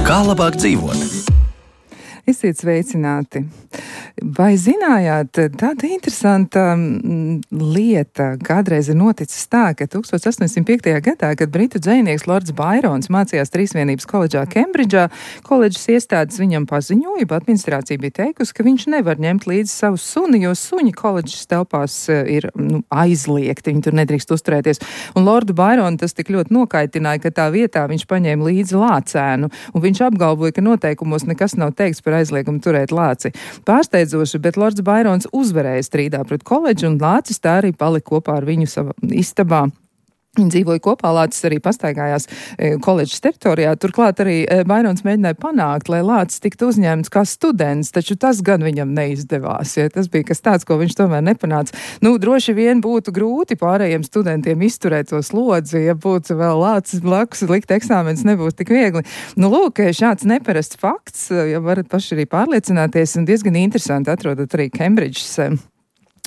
Kā labāk dzīvot? Esiet sveicināti! Vai zinājāt, tāda interesanta lieta kādreiz ir noticis tā, ka 1805. gadā, kad britu dzejnieks Lords Bairons mācījās Trīsvienības koledžā Kembridžā, koledžas iestādes viņam paziņoja, administrācija bija teikusi, ka viņš nevar ņemt līdzi savu suni, jo suņi koledžas telpās ir aizliegti, viņi tur nedrīkst uzturēties. Un Lordu Baironu tas tik ļoti nokaitināja, ka tā vietā viņš paņēma līdzi lācēnu, un viņš apgalvoja, ka noteikumos nekas nav teikts par aizliegumu turēt lāci. Pārsteidzoši, bet Lords Bairons uzvarēja strīdā pret koledžu, un lācis tā arī palika kopā ar viņu savā istabā. Viņi dzīvoja kopā, lācis arī pastaigājās koledžas teritorijā. Turklāt arī Bairons mēģināja panākt, lai lācis tiktu uzņemts kā students, taču tas gan viņam neizdevās. Ja? Tas bija kas tāds, ko viņš tomēr nepanāca. Droši vien būtu grūti pārējiem studentiem izturēt to slodzi, ja būtu vēl lācis blakus, likt eksāmenis nebūtu tik viegli. Lūk, šāds neparasts fakts, ja varat paši arī pārliecināties, un diezgan interesanti atrodat arī Kembridžas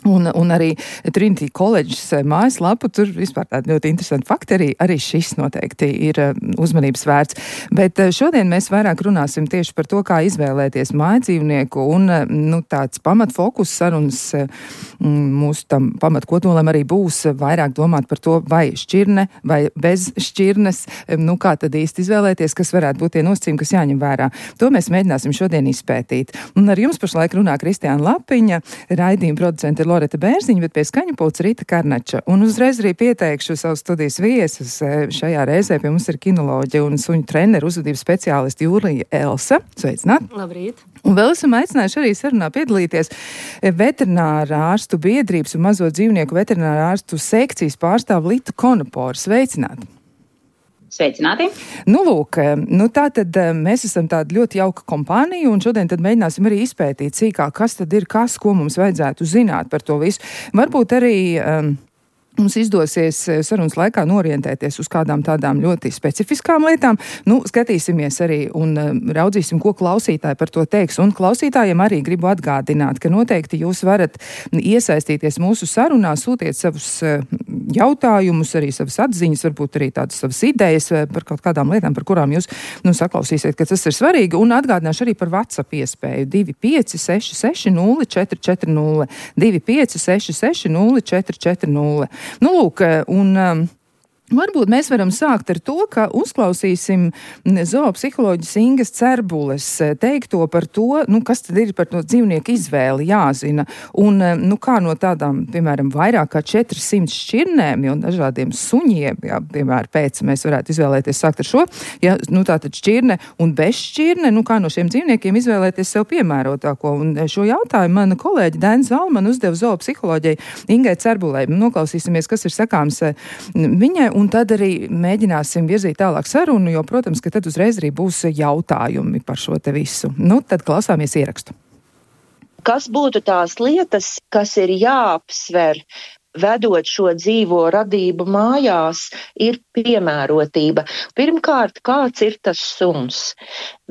un arī Trinity Colleges mājaslapu, tur vispār tādi ļoti interesanti fakti, arī šis noteikti ir uzmanības vērts. Bet šodien mēs vairāk runāsim tieši par to, kā izvēlēties mājdzīvnieku, un tāds pamatfokus sarunas mūsu tam pamatkodolam arī būs vairāk domāt par to, vai šķirne, vai bez šķirnes, kā tad īsti izvēlēties, kas varētu būt tie nosacījumi, kas jāņem vērā. To mēs mēģināsim šodien izpētīt. Un ar jums pašlaik runā Kristiāna Lapiņa, raidījuma producente Loreta Bērziņa, bet pie skaņu pulca Rita Karnača. Un uzreiz arī pieteikšu savu studijas viesus. Šajā reizē pie mums ir kinoloģe un suņu treneru uzvedības speciālisti Jūlija Elsa. Sveicināt! Labrīt! Un vēl esam aicinājuši arī sarunā piedalīties veterinārā ārstu biedrības un mazo dzīvnieku veterinārā ārstu sekcijas pārstāvu Litu Konoporu. Sveicināt! Sveicināti! Lūk, tātad mēs esam tāda ļoti jauka kompānija, un šodien tad mēģināsim arī izpētīt sīkāk, kas tad ir kas, ko mums vajadzētu zināt par to visu. Varbūt arī mums izdosies sarunas laikā norientēties uz kādām tādām ļoti specifiskām lietām. Skatīsimies arī un raudzīsim, ko klausītāji par to teiks. Un klausītājiem arī gribu atgādināt, ka noteikti jūs varat iesaistīties mūsu sarunā, sūtiet savus jautājumus, arī savas atziņas, varbūt arī tādas savas idejas par kaut kādām lietām, par kurām jūs saklausīsiet, ka tas ir svarīgi. Un atgādināšu arī par WhatsApp iespēju 2566 0440 2566 0440. Lūk, un varbūt mēs varam sākt ar to, ka uzklausīsim zoopsiholoģis Ingas Cerbules teikto par to, kas tad ir par to dzīvnieku izvēli jāzina. Un kā no tādām, piemēram, vairāk kā 400 šķirnēm un dažādiem suņiem, piemēram, pēc mēs varētu izvēlēties sākt ar šo, tātad šķirne un bez šķirne, kā no šiem dzīvniekiem izvēlēties sev piemērotāko. Un šo jautājumu mana kolēģi Dainis Zalman uzdeva zoopsiholoģijai Ingai Cerbulei. Noklausīsimies, kas ir sakāms viņai, un tad arī mēģināsim virzīt tālāk sarunu, jo, protams, ka tad uzreiz arī būs jautājumi par šo te visu. Tad klausāmies ierakstu. Kas būtu tās lietas, kas ir jāapsver, vedot šo dzīvo radību mājās, ir piemērotība. Pirmkārt, kāds ir tas suns?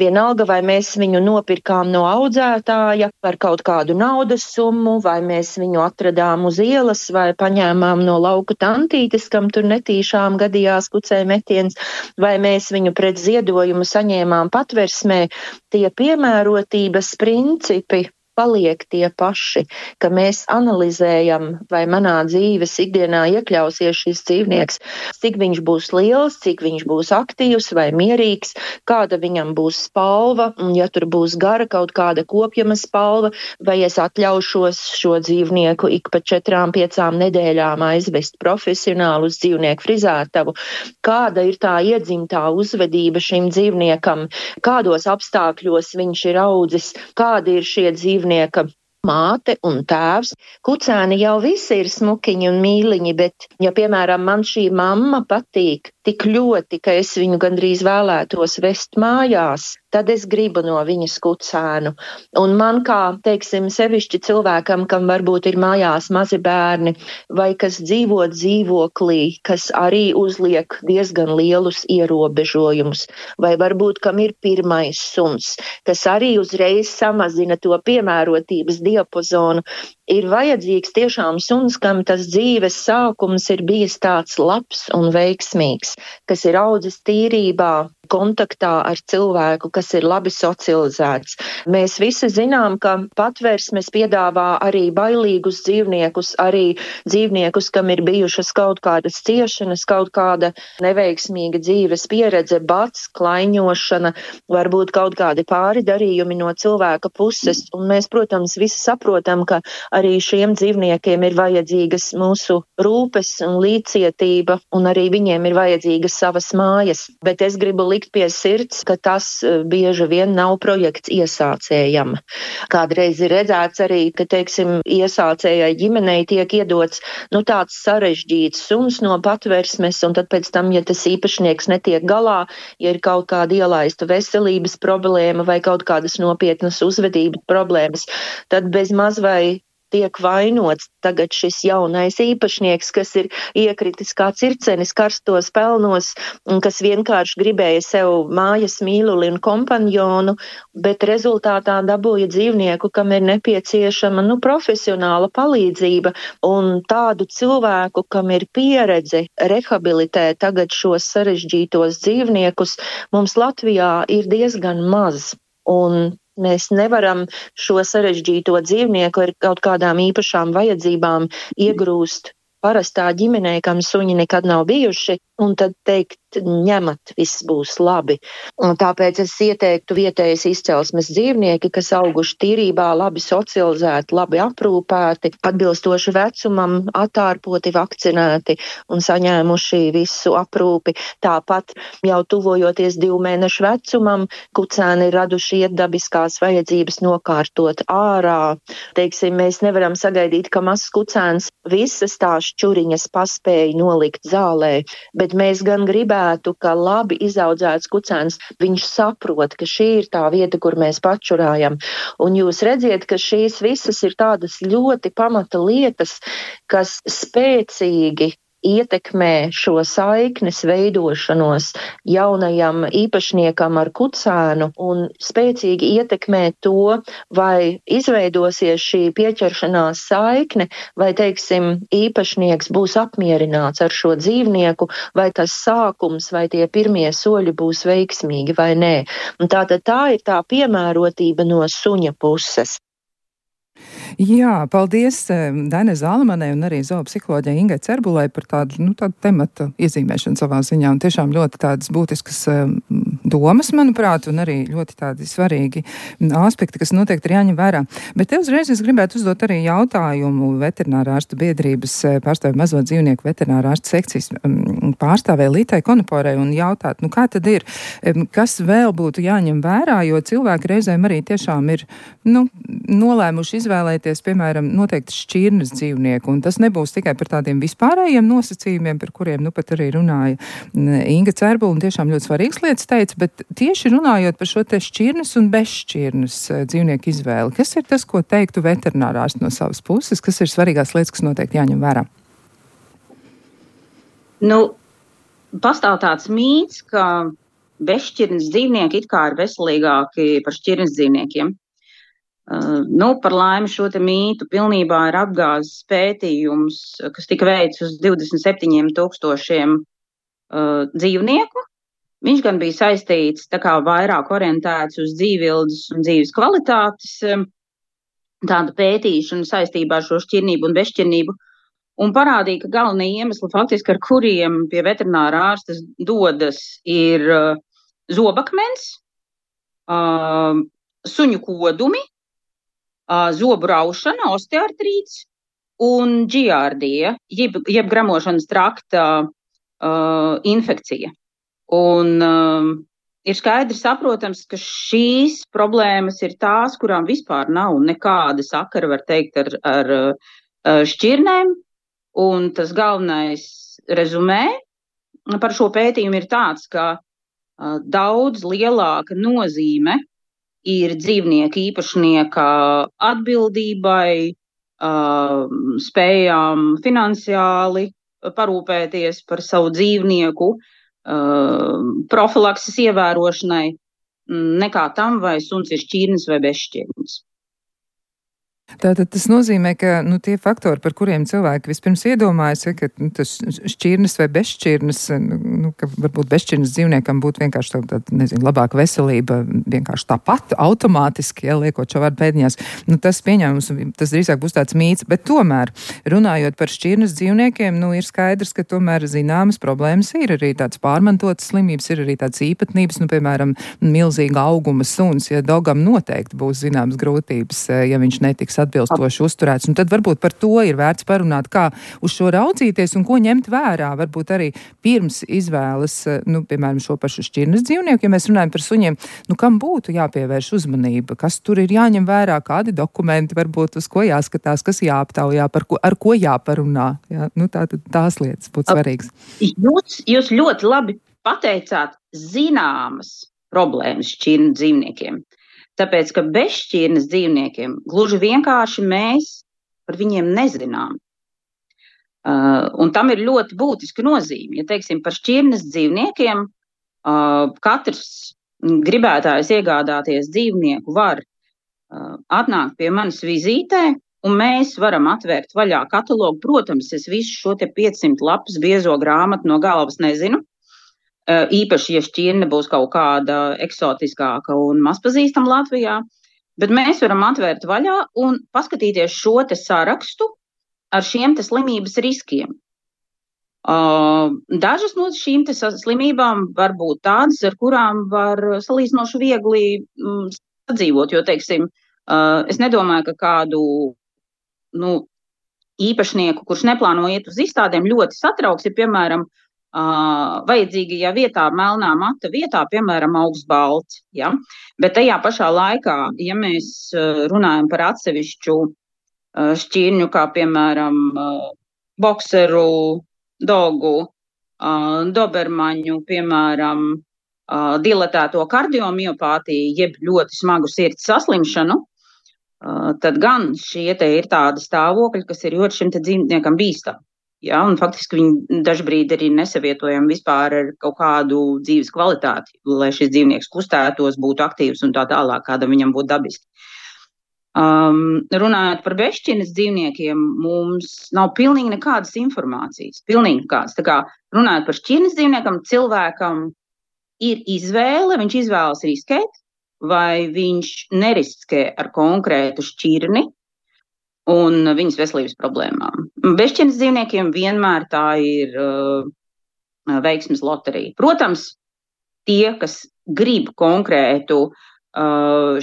Vienalga, vai mēs viņu nopirkām no audzētāja par kaut kādu naudas summu, vai mēs viņu atradām uz ielas, vai paņēmām no lauku tantītes, kam tur netīšām gadījās kucē metiens, vai mēs viņu pret ziedojumu saņēmām patversmē, tie piemērotības principi paliek tie paši, ka mēs analizējam, vai manā dzīves ikdienā iekļausies šis dzīvnieks, cik viņš būs liels, cik viņš būs aktīvs vai mierīgs, kāda viņam būs spalva, un ja tur būs gara kaut kāda kopjama spalva, vai es atļaušos šo dzīvnieku ik pa 4-5 nedēļām aizvest profesionālu uz dzīvnieku frizētavu, kāda ir tā iedzimtā uzvedība šim dzīvniekam, kādos apstākļos viņš ir audzis, kādi ir šie dzīvnieka māte un tēvs. Kucēni jau visi ir smukiņi un mīliņi, bet, ja, piemēram, man šī mamma patīk tik ļoti, ka es viņu gandrīz vēlētos vest mājās, tad es gribu no viņas kucēnu. Un man kā, teiksim, sevišķi cilvēkam, kam varbūt ir mājās mazi bērni, vai kas dzīvo dzīvoklī, kas arī uzliek diezgan lielus ierobežojumus, vai varbūt kam ir pirmais suns, kas arī uzreiz samazina to piemērotības diapazonu, ir vajadzīgs tiešām suns, kam tas dzīves sākums ir bijis tāds labs un veiksmīgs, kas ir audzis tīrībā, kontaktā ar cilvēku, kas ir labi socializēts. Mēs visi zinām, ka patvērsmes piedāvā arī bailīgus dzīvniekus, arī dzīvniekus, kam ir bijušas kaut kādas ciešanas, kaut kāda neveiksmīga dzīves pieredze, bats, klaiņošana, varbūt kaut kādi pāridarījumi no cilvēka puses. Un mēs, protams, visi saprotam, ka arī šiem dzīvniekiem ir vajadzīgas mūsu rūpes un līdzcietība, un arī viņiem ir vajadzīgas savas mājas. Bet es gribu likt pie sirds, ka tas bieži vien nav projekts iesācējam. Kādreiz ir redzēts arī, ka, teiksim, iesācējai ģimenei tiek iedots, tāds sarežģīts suns no patversmes, un tad pēc tam, ja tas īpašnieks netiek galā, ja ir kaut kāda ielaista veselības problēma vai kaut kādas nopietnas uzvedības problēmas, tad bez maz vai tiek vainots tagad šis jaunais īpašnieks, kas ir iekritis kā circenis karstos pelnos un kas vienkārši gribēja sev mājas mīluli un kompanjonu, bet rezultātā dabūja dzīvnieku, kam ir nepieciešama profesionāla palīdzība, un tādu cilvēku, kam ir pieredze rehabilitēt tagad šos sarežģītos dzīvniekus, mums Latvijā ir diezgan maz. Un mēs nevaram šo sarežģīto dzīvnieku ar kaut kādām īpašām vajadzībām iegrūst parastā ģimenē, kam suņi nekad nav bijuši, un tad teikt, ņemat, viss būs labi. Un tāpēc es ieteiktu vietējas izcelsmes dzīvnieki, kas auguši tīrībā, labi socializēti, labi aprūpēti, atbilstoši vecumam, atārpoti, vakcinēti un saņēmuši visu aprūpi. Tāpat jau tuvojoties 2 mēnešu vecumam, kucēni ir raduši iet dabiskās vajadzības nokārtot ārā. Teiksim, mēs nevaram sagaidīt, ka mazs kucēns visas tās šķuriņas paspēja nolikt zālē, bet mēs gan gribētu, ka labi izaudzēts kucēns, viņš saprot, ka šī ir tā vieta, kur mēs pačurājam. Un jūs redziet, ka šīs visas ir tādas ļoti pamata lietas, kas spēcīgi ietekmē šo saiknes veidošanos jaunajam īpašniekam ar kucēnu un spēcīgi ietekmē to, vai izveidosies šī pieķeršanās saikne, vai, teiksim, īpašnieks būs apmierināts ar šo dzīvnieku, vai tas sākums, vai tie pirmie soļi būs veiksmīgi vai nē. Un tātad tā ir tā piemērotība no suņa puses. Jā, paldies Dainai Zālemanai un arī zoopsiholoģei Ingai Cerbulai par tādu tematu iezīmēšanu savā ziņā. Un tiešām ļoti tādas būtiskas domas, manuprāt, un arī ļoti tādi svarīgi aspekti, kas noteikti ir jāņem vērā. Bet te uzreiz es gribētu uzdot arī jautājumu veterinārārstu biedrības pārstāvju mazo dzīvnieku veterinārārstu sekcijas pārstāvēja Lītai Konoporai un jautāt, kā tad ir, kas vēl būtu jāņem vērā, jo cilvēki reizēm arī tiešām ir, nolēmuši izvēlēties, piemēram, noteikti šķirnes dzīvnieku, un tas nebūs tikai par tādiem vispārējiem nosacījumiem, par kuriem pat arī runāja Inga Cerbula, un tiešām ļoti svarīgas lietas teica, bet tieši runājot par šo te šķirnes un bezšķirnes dzīvnieku izvēli, kas ir tas, ko teiktu veterinārārsts no savas puses, kas ir svarīgās lietas, kas noteikti jāņem vērā? Pastāv tāds mīts, ka bezšķirnes dzīvnieki it kā ir veselīgāki par šķirnes dzīvniekiem. Par laimi šo te mītu pilnībā ir apgāzis pētījums, kas tika veikts uz 27,000 dzīvnieku. Viņš gan bija saistīts vairāk orientēts uz dzīvildes un dzīves kvalitātes tādu pētīšanu saistībā ar šo šķirnību un bezšķirnību, un parādīja, ka galvenie iemesli faktiski, ar kuriem pie veterinārā ārstes dodas, ir zobakmens, suņu kodumi, zobu raušana, osteoartrīts un džiardija, jeb gramošanas trakta infekcija. Un ir skaidri saprotams, ka šīs problēmas ir tās, kurām vispār nav nekāda sakara, var teikt, ar šķirnēm, un tas galvenais rezumē par šo pētījumu ir tāds, ka daudz lielāka nozīme ir dzīvnieku īpašnieka atbildībai, spējām finansiāli parūpēties par savu dzīvnieku, profilakses ievērošanai, nekā tam, vai suns ir šķirnis vai bezšķirnis. Tātad tas nozīmē, ka tie faktori, par kuriem cilvēki vispirms iedomājas, ka tas šķirnis vai bezšķirnis, ka varbūt bezšķirnis dzīvniekam būtu vienkārši tāda, labāka veselība, vienkārši tāpat automātiski, liekot šo vārdu pēdiņās. Tas pieņēmums, tas drīzāk būs tāds mīts, bet tomēr, runājot par šķirnis dzīvniekiem, ir skaidrs, ka tomēr zināmas problēmas ir arī tāds pārmantotas slimības, ir arī tāds īpatnības, piemēram, milzīga auguma suns, ja dogam noteikti būs zināmas grūtības, ja viņš netiks atbilstoši uzturēts. Un tad varbūt par to ir vērts parunāt, kā uz šo raudzīties un ko ņemt vērā. Varbūt arī pirms izvēles, piemēram, šo pašu šķirnes dzīvnieku, ja mēs runājam par suņiem, kam būtu jāpievērš uzmanība, kas tur ir jāņem vērā, kādi dokumenti varbūt uz ko jāskatās, kas jāaptaujā, ar ko jāparunā. Jā? Tās lietas būtu svarīgas. Jūs ļoti labi pateicāt zināmas problēmas šķirnes dzīvniekiem. Tāpēc, ka bez šķirnes dzīvniekiem gluži vienkārši mēs par viņiem nezinām. Un tam ir ļoti būtiska nozīme. Ja teiksim par šķirnes dzīvniekiem, katrs gribētājs iegādāties dzīvnieku var atnākt pie manis vizītē, un mēs varam atvērt vaļā katalogu. Protams, es visu šo te 500 lapas biezo grāmatu no galvas nezinu. Īpaši, ja šķirne būs kaut kāda eksotiskāka un mazpazīstama Latvijā, bet mēs varam atvērt vaļā un paskatīties šo te sarakstu ar šiem te slimības riskiem. Dažas no šīm te slimībām var būt tādas, ar kurām var salīdzinoši viegli sadzīvot, jo, teiksim, es nedomāju, ka kādu īpašnieku, kurš neplāno iet uz izstādēm, ļoti satrauks, ja, piemēram, vajadzīgajā vietā, melnā mata vietā, piemēram, augsts balts. Ja? Bet tajā pašā laikā, ja mēs runājam par atsevišķu šķirņu, kā piemēram bokseru, dogu, dobermaņu, piemēram, dilatēto kardiomiopātiju, jeb ļoti smagu sirds saslimšanu, tad gan šie te ir tādi stāvokļi, kas ir ļoti šim te dzīvniekam bīstami. Ja, un faktiski viņi dažbrīd arī nesavietojami vispār ar kaut kādu dzīves kvalitāti, lai šis dzīvnieks kustētos, būtu aktīvs un tā tālāk, kāda viņam būtu dabiski. Runājot par bezšķirnes dzīvniekiem, mums nav pilnīgi nekādas informācijas. Pilnīgi nekādas. Tā kā runājot par šķirnes dzīvniekam, cilvēkam ir izvēle, viņš izvēlas riskēt, vai viņš neriskē ar konkrētu šķirni un viņas veselības problēmām. Bezšķirnes dzīvniekiem vienmēr tā ir veiksmes loterija. Protams, tie, kas grib konkrētu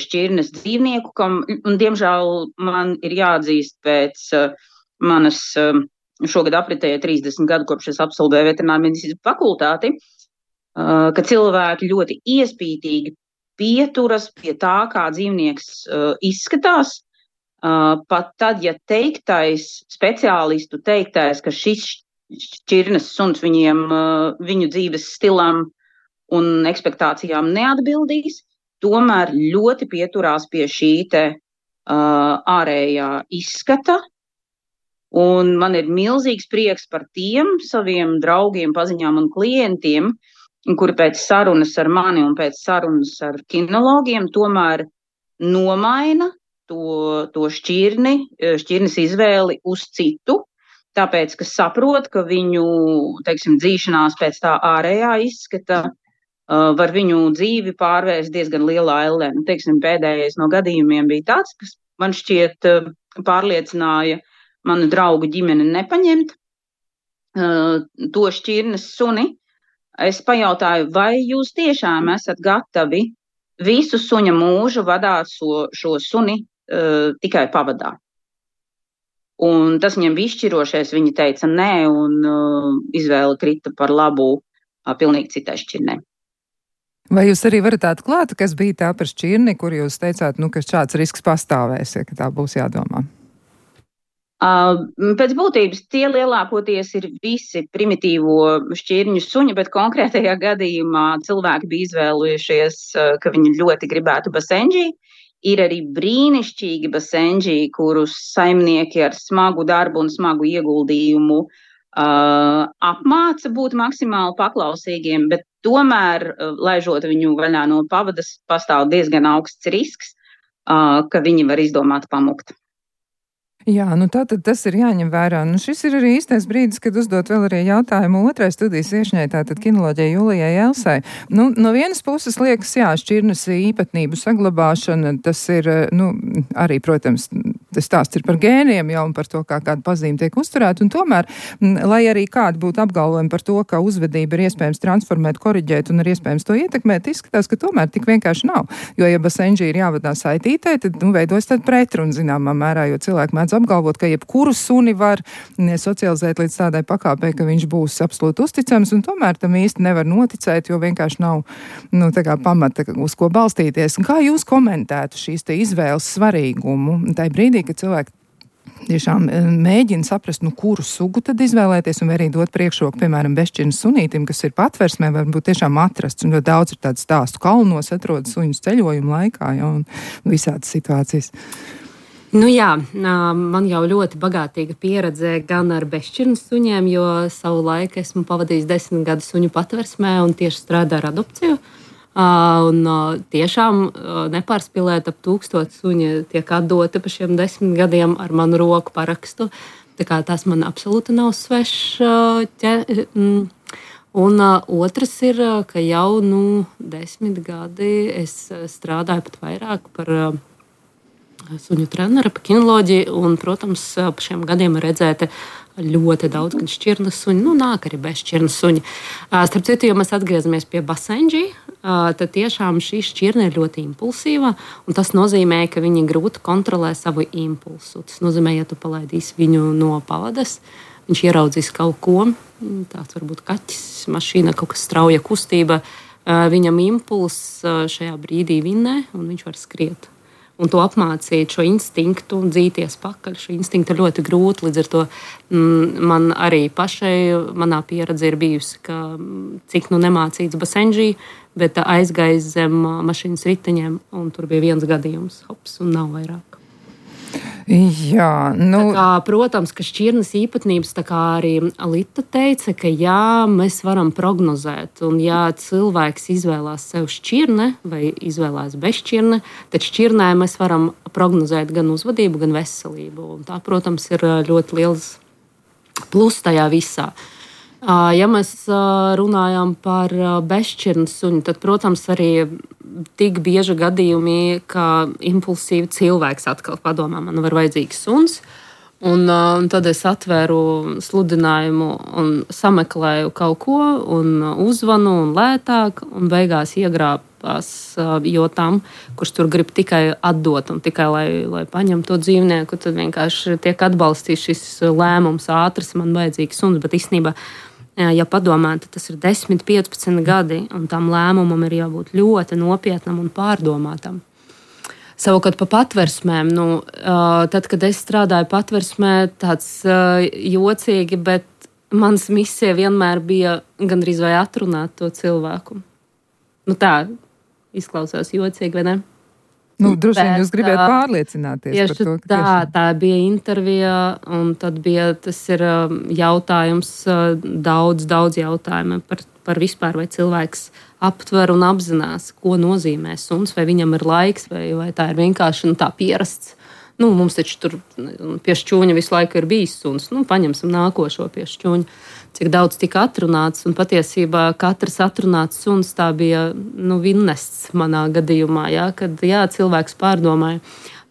šķirnes dzīvnieku, kam, un diemžēl man ir jāatzīst pēc manas šogad apritēja 30 gadu, kopš es absolvēju veterinārmedicīnas fakultāti, ka cilvēki ļoti iespītīgi pieturas pie tā, kā dzīvnieks izskatās. Pat tad, ja speciālistu teiktais, ka šis šķirnes suns viņu dzīves stilam un ekspektācijām neatbildīs, tomēr ļoti pieturās pie šī te ārējā izskata. Un man ir milzīgs prieks par tiem saviem draugiem, paziņām un klientiem, kuri pēc sarunas ar mani un pēc sarunas ar kinologiem tomēr nomaina to šķirnes izvēli uz citu, tāpēc, ka saprot, ka viņu, teiksim, dzīšanās pēc tā ārējā izskata var viņu dzīvi pārvērst diezgan lielā ellē. Teiksim, pēdējais no gadījumiem bija tāds, kas man šķiet pārliecināja manu draugu ģimeni nepaņemt to šķirnes suni. Es pajautāju, vai jūs tiešām esat gatavi visu suņa mūžu vadāt šo suni tikai pavadā. Un tas viņam bija izšķirošais, viņi teica nē, un izvēle krita par labu pilnīgi citai šķirnei. Vai jūs arī varat atklāt, kas bija tā par šķirni, kur jūs teicāt, ka šāds risks pastāvēs, ja tā būs jādomā? Pēc būtības tie lielākoties ir visi primitīvo šķirņu suņi, bet konkrētajā gadījumā cilvēki bija izvēlējušies, ka viņi ļoti gribētu basenģī. Ir arī brīnišķīgi basenģī, kurus saimnieki ar smagu darbu un smagu ieguldījumu apmāca būt maksimāli paklausīgiem, bet tomēr, laižot viņu vaļā no pavadas, pastāv diezgan augsts risks, ka viņi var izdomāt pamukt. Jā, tātad tas ir jāņem vērā. Šis ir arī īstais brīdis, kad uzdot vēl arī jautājumu otrai studijas viešņai, tātad kinoloģijai Julijai Elsai. No vienas puses liekas, jā, šķirnes īpatnību saglabāšana, tas ir, arī, protams, tas stāsts ir par gēniem jau un par to, kā kāda pazīme tiek uzturēta, un tomēr, lai arī kādi būtu apgalvojumi par to, ka uzvedība ir iespējams transformēt, koriģēt un ir iespējams to ietekmēt, izskatās, ka tomēr tik vienkārši nav. Jo, ja basenģī ir jāvadā saitītē, tad, veidojas tad pretruna zināmā mērā, jo cilvēki mēdz apgalvot, ka jebkuru suni var socializēt līdz tādai pakāpei, ka viņš būs absolūti uzticams, un tomēr tam īsti nevar noticēt, jo vienkārši nav, tā kā pamata, uz ko balstīties. Un kā jūs komentētu šīs te izvēles svarīgumu? Tai brīdī, kad cilvēki tiešām mēģina saprast, kuru sugu tad izvēlēties, un arī dot priekšroku, piemēram, bešķirnes sunītim, kas ir patversmē, varbūt tiešām atrasts, un ļoti daudz ir tādu stāstu kalnos, atrodas suņus ceļojumu laikā, un visādas situācijas. Jā, man jau ļoti bagātīga pieredze gan ar bešķirnes suņiem, jo savu laiku esmu pavadījis 10 gadu suņu patversmē un tieši strādāju ar adopciju. Un tiešām nepārspīlēt ap 1000 suņi tiek atdoti pa šiem 10 gadiem ar manu roku parakstu. Tā kā tas man absolūti nav svešs. Un otrs ir, ka jau 10 gadi es strādāju pat vairāk par suņu treneri, pa kinoloģiju, un, protams, pa šiem gadiem ir redzēti ļoti daudz gan šķirnes suņi, nāk arī bezšķirnes suņi. Starp citu, ja mēs atgriezamies pie basenģī, tad tiešām šī šķirne ir ļoti impulsīva, un tas nozīmē, ka viņi grūti kontrolē savu impulsu. Tas nozīmē, ja tu palaidīsi viņu no pavadas, viņš ieraudzīs kaut ko, tāds varbūt kaķis, mašīna, kaut kas strauja kustība, viņam impulss šajā brīdī vinnē, un viņš var skriet. Un to apmācīt, šo instinktu, dzīties pakaļ. Šo instinktu ir ļoti grūti. Līdz ar to man arī pašai, manā pieredze ir bijusi, ka cik nemācīts basenģī, bet aizgājis zem mašīnas riteņiem, un tur bija viens gadījums, hops, un nav vairāk. Jā, protams, ka šķirnes īpatnības, tā kā arī Alita teica, ka jā, mēs varam prognozēt, un ja cilvēks izvēlās sev šķirne vai izvēlās bezšķirne, tad šķirnē mēs varam prognozēt gan uzvedību, gan veselību, un tā, protams, ir ļoti liels plus tajā visā. Ja mēs runājam par bezšķirnes suņu, tad, protams, arī tik bieži gadījumi, ka impulsīvi cilvēks atkal padomā, man var vajadzīgs suns, un tad es atvēru sludinājumu un sameklēju kaut ko, un uzvanu un lētāk, un beigās iegrābās jotām, kurš tur grib tikai atdot un tikai, lai paņem to dzīvnieku, tad vienkārši tiek atbalstīts šis lēmums ātrs, man vajadzīgs suns, bet īstenībā, ja padomā, tad tas ir 10-15 gadi, un tam lēmumam ir jābūt ļoti nopietnam un pārdomātam. Savukārt pa patversmēm, tad, kad es strādāju patversmē, tāds jocīgi, bet mans misija vienmēr bija gandrīz vai atrunāt to cilvēku. Tā izklausās jocīgi, vai ne? Droši vien jūs gribētu pārliecināties par to, ka tā bija intervija, un tad bija, tas ir jautājums, daudz jautājumu par vispār, vai cilvēks aptver un apzinās, ko nozīmē suns, vai viņam ir laiks, vai tā ir vienkārši tā pierasts. Mums taču tur pie šķūņa visu laiku ir bijis suns, paņemsim nākošo pie šķūņa. Cik daudz tika atrunāts, un patiesībā katrs atrunāts suns tā bija vinnests manā gadījumā, kad cilvēks pārdomāja.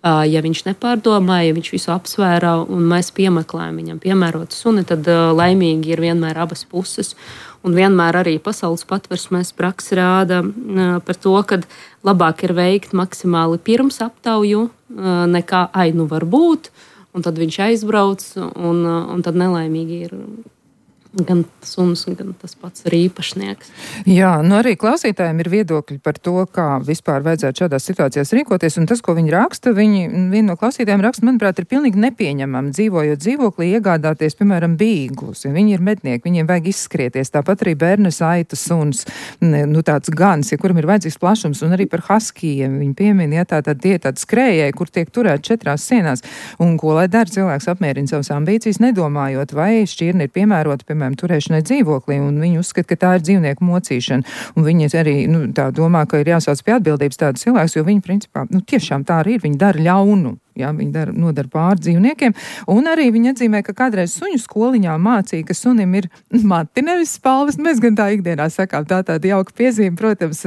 Ja viņš nepārdomāja, ja viņš visu apsvērā un mēs piemeklējam viņam piemērotu suni, tad laimīgi ir vienmēr abas puses. Un vienmēr arī pasaules patversmēs praksa rāda par to, ka labāk ir veikt maksimāli pirms aptauju, nekā var būt, un tad viņš aizbrauc, un tad nelaimīgi ir gan suns, gan tas pats arī īpašnieks. Jā, arī klausītājiem ir viedokļi par to, kā vispār vajadzētu šādās situācijās rīkoties, un tas, ko viņi raksta, viena no klausītājiem raksta, manuprāt, ir pilnīgi nepieņemami, dzīvojot dzīvoklī, iegādāties, piemēram, bīglus, ja viņi ir mednieki, viņiem vajag izskrieties, tāpat arī bērnes aitas suns, tāds gans, ja kuram ir vajadzīgs plašums, un arī par haskijiem viņi piemina, ja tātad tie tādi skrējēji, kur tiek turēt 4 sienās, un ko lai dara cilvēks apmierina savas ambīcijas, nedomājot, vai šķirne ir piemērota, piemēram, turēšanai dzīvoklī, un viņi uzskata, ka tā ir dzīvnieku mocīšana, un viņi arī, tā domā, ka ir jāsauc pie atbildības tādas cilvēks, jo viņi, principā, tiešām tā arī ir, viņi dara ļaunu. Jā, viņi nodara pāri dzīvniekiem, un arī viņi atzīmē, ka kādreiz suņu skoliņā mācīja, ka sunim ir mati, nevis spalvas. Mēs gan tā ikdienā sakām, tā tāda jauka piezīme, protams,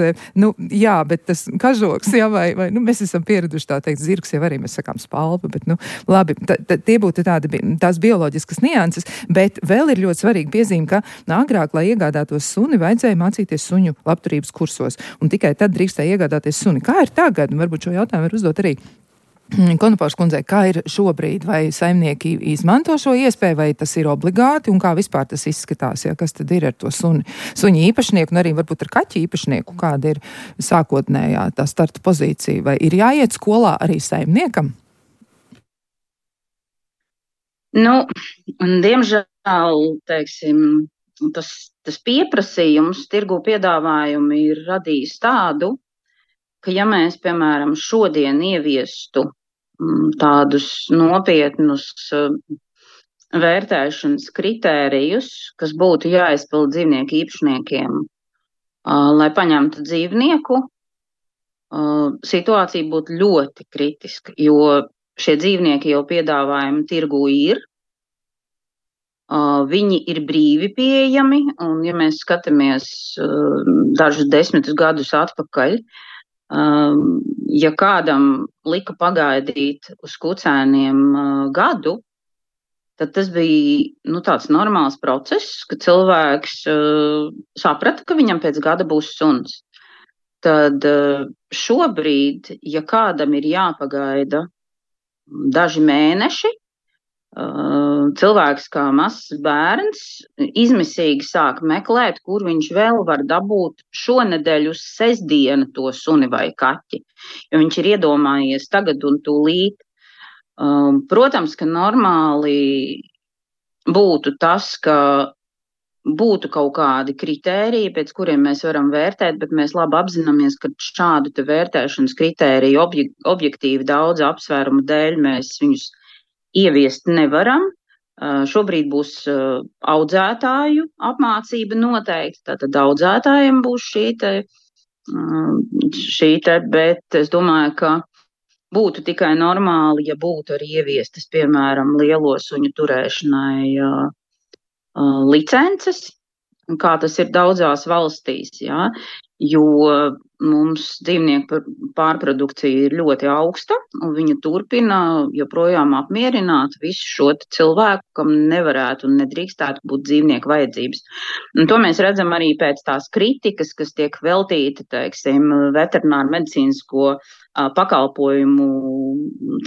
jā, bet tas kažoks, jā, vai mēs esam pieraduši tā teikt, zirgs jau arī mēs sakām spalva, bet, labi, tie būtu tās bioloģiskas nianses, bet vēl ir ļoti svarīga piezīme, ka agrāk, lai iegādātos suni, vajadzēja mācīties suņu labturības kursos, un tikai tad drīkstēja iegādāties suni. Kā ir tagad? Varbūt šo jautājumu var uzdot arī Konopārs kundzei, kā ir šobrīd, vai saimnieki izmanto šo iespēju, vai tas ir obligāti, un kā vispār tas izskatās, ja, kas tad ir ar to suņu īpašnieku, un arī varbūt ar kaķu īpašnieku, kāda ir sākotnējā tā starta pozīcija, vai ir jāiet skolā arī saimniekam? Diemžēl, teiksim, tas pieprasījums, tirgu piedāvājumi ir radījis tādu, ka ja mēs, piemēram, šodien ieviestu tādus nopietnus vērtēšanas kritērijus, kas būtu jāizpild dzīvnieku īpašniekiem, lai paņemtu dzīvnieku, situācija būtu ļoti kritiska, jo šie dzīvnieki jau piedāvājumi tirgū ir, viņi ir brīvi pieejami, un ja mēs skatāmies dažus 10 gadus atpakaļ, ja kādam lika pagaidīt uz kucēniem gadu, tad tas bija tāds normāls process, ka cilvēks saprata, ka viņam pēc gada būs suns. Tad šobrīd, ja kādam ir jāpagaida daži mēneši, cilvēks kā mazs bērns izmisīgi sāk meklēt, kur viņš vēl var dabūt šonedēļ uz sestdienu to suni vai kaķi, jo viņš ir iedomājies tagad un tūlīt. Protams, ka normāli būtu tas, ka būtu kaut kādi kritēriji, pēc kuriem mēs varam vērtēt, bet mēs labi apzināmies, ka šādu te vērtēšanas kritēriju objektīvi daudz apsvērumu dēļ mēs viņus ieviest nevaram. Šobrīd būs audzētāju apmācība noteikti, tātad audzētājiem būs šī te, bet es domāju, ka būtu tikai normāli, ja būtu arī ieviestas, piemēram, lielo suņu turēšanai licences, kā tas ir daudzās valstīs, jā, jo mums dzīvnieku pārprodukcija ir ļoti augsta, un viņa turpina joprojām apmierināt visu šo cilvēku, kam nevarētu un nedrīkstētu būt dzīvnieku vajadzības. Un to mēs redzam arī pēc tās kritikas, kas tiek veltīta, teiksim, veterināru medicīnisko pakalpojumu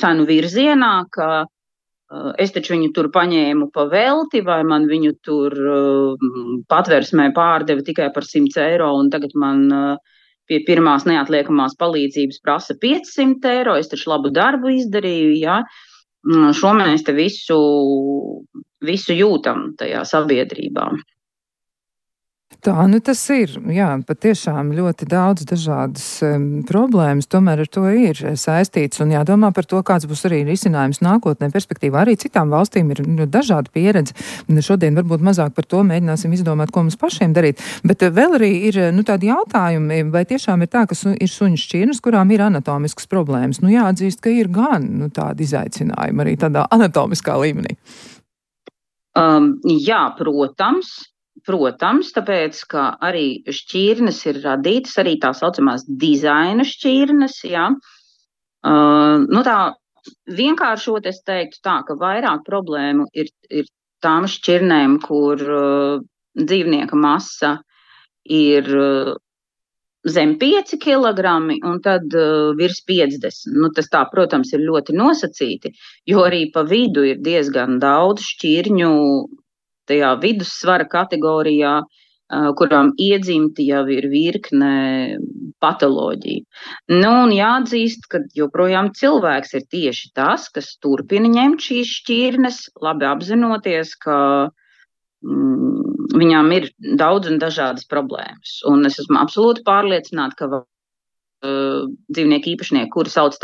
cenu virzienā, ka es taču viņu tur paņēmu pa velti, vai man viņu tur patversmē pārdeva tikai par 100 eiro, un tagad man pie pirmās neatliekamās palīdzības prasa 500 eiro, es taču labu darbu izdarīju, jā. Šo mēs te visu jūtam tajā sabiedrībā. Tā, tas ir, jā, patiešām ļoti daudz dažādas problēmas, tomēr ar to ir saistīts un jādomā par to, kāds būs arī risinājums nākotnē perspektīvā. Arī citām valstīm ir dažāda pieredze. Šodien varbūt mazāk par to mēģināsim izdomāt, ko mums pašiem darīt, bet vēl arī ir, tādi jautājumi, vai tiešām ir tā, ka ir suņu šķirnes, kurām ir anatomiskas problēmas. Jāatzīst, ka ir gan, tādi izaicinājumi arī tādā anatomiskā līmenī. Jā, Protams, tāpēc, ka arī šķirnes ir radītas, arī tā saucamās dizaina šķirnes, jā. Tā vienkāršot es teiktu tā, ka vairāk problēmu ir tām šķirnēm, kur dzīvnieka masa ir zem 5 kilogrami un tad virs 50. Tas tā, protams, ir ļoti nosacīti, jo arī pa vidu ir diezgan daudz šķirņu, tajā vidussvara kategorijā, kurām iedzimti jau ir virkne patoloģiju. Nu, un jāatzīst, ka joprojām cilvēks ir tieši tas, kas turpina ņemt šīs šķirnes, labi apzinoties, ka viņām ir daudz un dažādas problēmas. Un es esmu absolūti pārliecināta, ka dzīvnieku īpašnieki, kuri sauc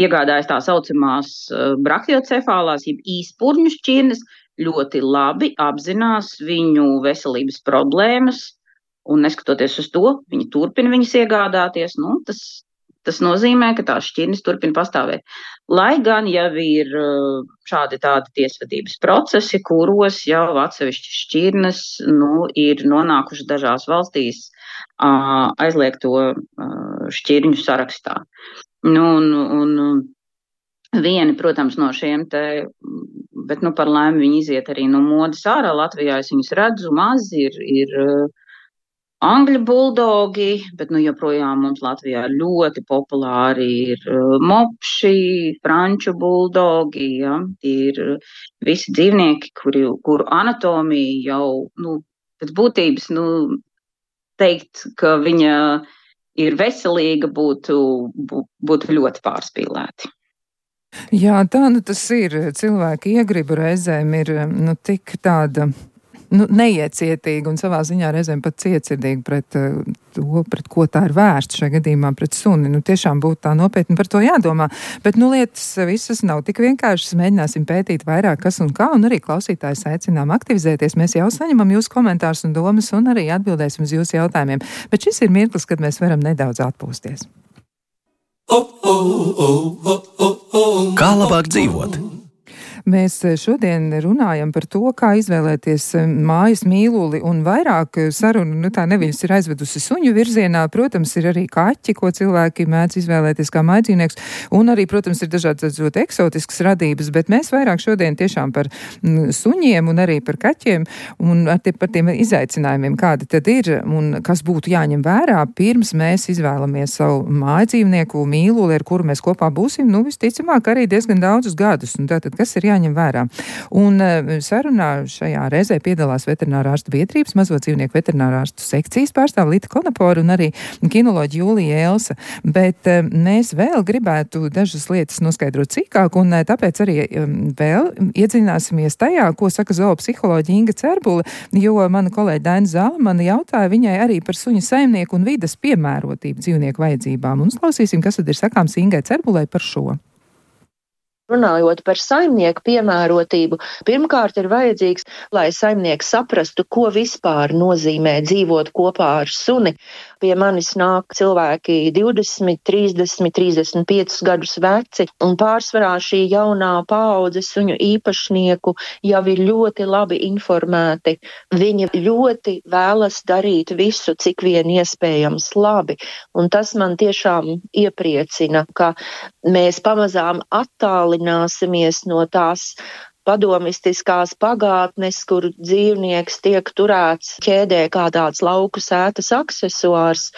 iegādājas tā saucamās brachiocefālās, jeb īspurņu šķirnes, ļoti labi apzinās viņu veselības problēmas, un neskatoties uz to, viņi turpina viņas iegādāties. Nu, tas nozīmē, ka tās šķirnes turpina pastāvēt. Lai gan jau ir šādi tādi tiesvedības procesi, kuros jau atsevišķi šķirnes ir nonākuši dažās valstīs aizliegto šķirņu sarakstā. Vieni, protams, no šiem bet par laimi viņi iziet arī no modes ārā. Latvijā es viņus redzu, mazi ir angļu buldogi, bet joprojām mums Latvijā ļoti populāri ir mopši, franču buldogi, ja? Ir visi dzīvnieki, kuru anatomija jau, pēc būtības, teikt, ka viņa ir veselīga, būtu ļoti pārspīlēti. Jā, tā tas ir. Cilvēki iegribu reizēm ir tik tāda neiecietīga un savā ziņā reizēm pat cietsirdīga pret to, pret ko tā ir vērsta šajā gadījumā pret suni. Tiešām būtu tā nopietni par to jādomā. Bet lietas visas nav tik vienkāršas. Mēģināsim pētīt vairāk, kas un kā, un arī klausītājus aicinām aktivizēties. Mēs jau saņemam jūsu komentārus un domas un arī atbildēsim uz jūsu jautājumiem. Bet šis ir mirklis, kad mēs varam nedaudz atpūsties. Kā labāk dzīvot? Mēs šodien runājam par to, kā izvēlēties mājas mīluli, un vairāk sarunu, tā neviļas ir aizvedusi suņu virzienā. Protams, ir arī kaķi, ko cilvēki mēdz izvēlēties kā mājdzīvnieks, un arī, protams, ir dažādas ļoti eksotiskas radības, bet mēs vairāk šodien tiešām par suņiem un arī par kaķiem un par tiem izaicinājumiem, kādi tad ir un kas būtu jāņem vērā, pirms mēs izvēlamies savu mājdzīvnieku mīluli, ar kuru mēs kopā būsim, visticamāk, arī diezgan daudzus gadus. Un tātad, kas ir jāņem vērā? Un sarunā šajā reizē piedalās veterinārārstu biedrības mazo dzīvnieku veterinārārstu sekcijas pārstāve Lita Konapora un arī kinoloģija Jūlija Elsa. Bet mēs vēl gribētu dažas lietas noskaidrot sīkāk, un tāpēc arī vēl iedziļināsimies tajā, ko saka zoopsiholoģija Inga Cerbule, jo mana kolēģa Daina Zālamana jautāja viņai arī par suņa saimnieku un vides piemērotību dzīvnieku vajadzībām. Un uzklausīsim, kas tad ir sakāms Ingai Cerbulei par šo. Runājot par saimnieku piemērotību, pirmkārt ir vajadzīgs, lai saimnieks saprastu, ko vispār nozīmē dzīvot kopā ar suni. Pie manis nāk cilvēki 20, 30, 35 gadus veci, un pārsvarā šī jaunā paudze suņu īpašnieku jau ir ļoti labi informēti. Viņi ļoti vēlas darīt visu, cik vien iespējams labi, un tas man tiešām iepriecina, ka mēs pamazām attālināsimies no tās padomistiskās pagātnes, kur dzīvnieks tiek turēts ķēdē kā tāds lauku sētas aksesuārs,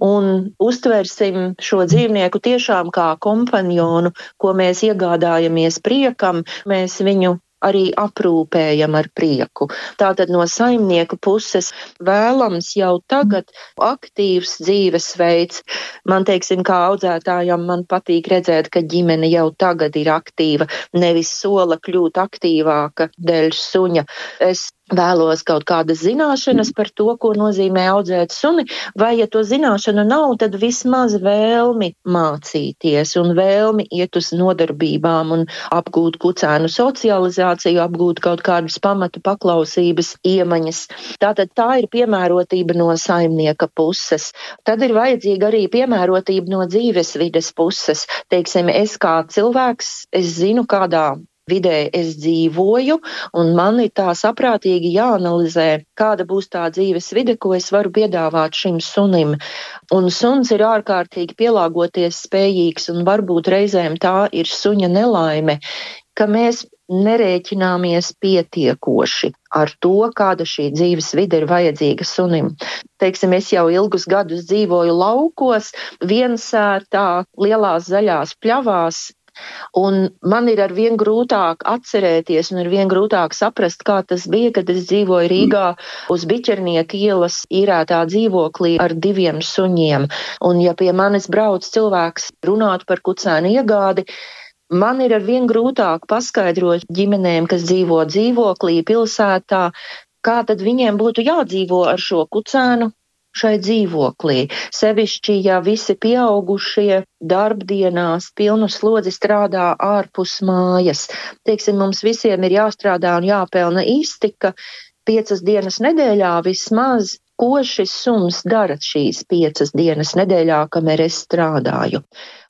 un uztversim šo dzīvnieku tiešām kā kompanjonu, ko mēs iegādājamies priekam, mēs viņu arī aprūpējam ar prieku. Tātad no saimnieka puses vēlams jau tagad aktīvs dzīvesveids. Man, teiksim, kā audzētājam, man patīk redzēt, ka ģimene jau tagad ir aktīva, nevis sola kļūt aktīvāka dēļ suņa. Es vēlos kaut kādas zināšanas par to, ko nozīmē audzēt suni, vai, ja to zināšanu nav, tad vismaz vēlmi mācīties un vēlmi iet uz nodarbībām un apgūt kucēnu socializāciju, apgūt kaut kādas pamatu paklausības iemaņas. Tātad tā ir piemērotība no saimnieka puses. Tad ir vajadzīga arī piemērotība no dzīvesvides puses. Teiksim, es kā cilvēks, es zinu, kādā vidē es dzīvoju, un man ir tā saprātīgi jāanalizē, kāda būs tā dzīves vide, ko es varu piedāvāt šim sunim. Un suns ir ārkārtīgi pielāgoties spējīgs, un varbūt reizēm tā ir suņa nelaime, ka mēs nerēķināmies pietiekoši ar to, kāda šī dzīves vide ir vajadzīga sunim. Teiksim, es jau ilgus gadus dzīvoju laukos, viensērtā, lielās zaļās pļavās, Un man ir arvien grūtāk atcerēties un arvien grūtāk saprast, kā tas bija, kad es dzīvoju Rīgā uz Biķernieka ielas īrētā dzīvoklī ar 2 suņiem. Un ja pie manis brauc cilvēks runāt par kucēnu iegādi, man ir arvien grūtāk paskaidrot ģimenēm, kas dzīvo dzīvoklī pilsētā, kā tad viņiem būtu jādzīvo ar šo kucēnu šai dzīvoklī. Sevišķi, ja visi pieaugušie darbdienās pilnu slodzi strādā ārpus mājas. Teiksim, mums visiem ir jāstrādā un jāpelna iztika 5 dienas nedēļā vismaz. Ko šis suns dara šīs 5 dienas nedēļā, kamēr es strādāju?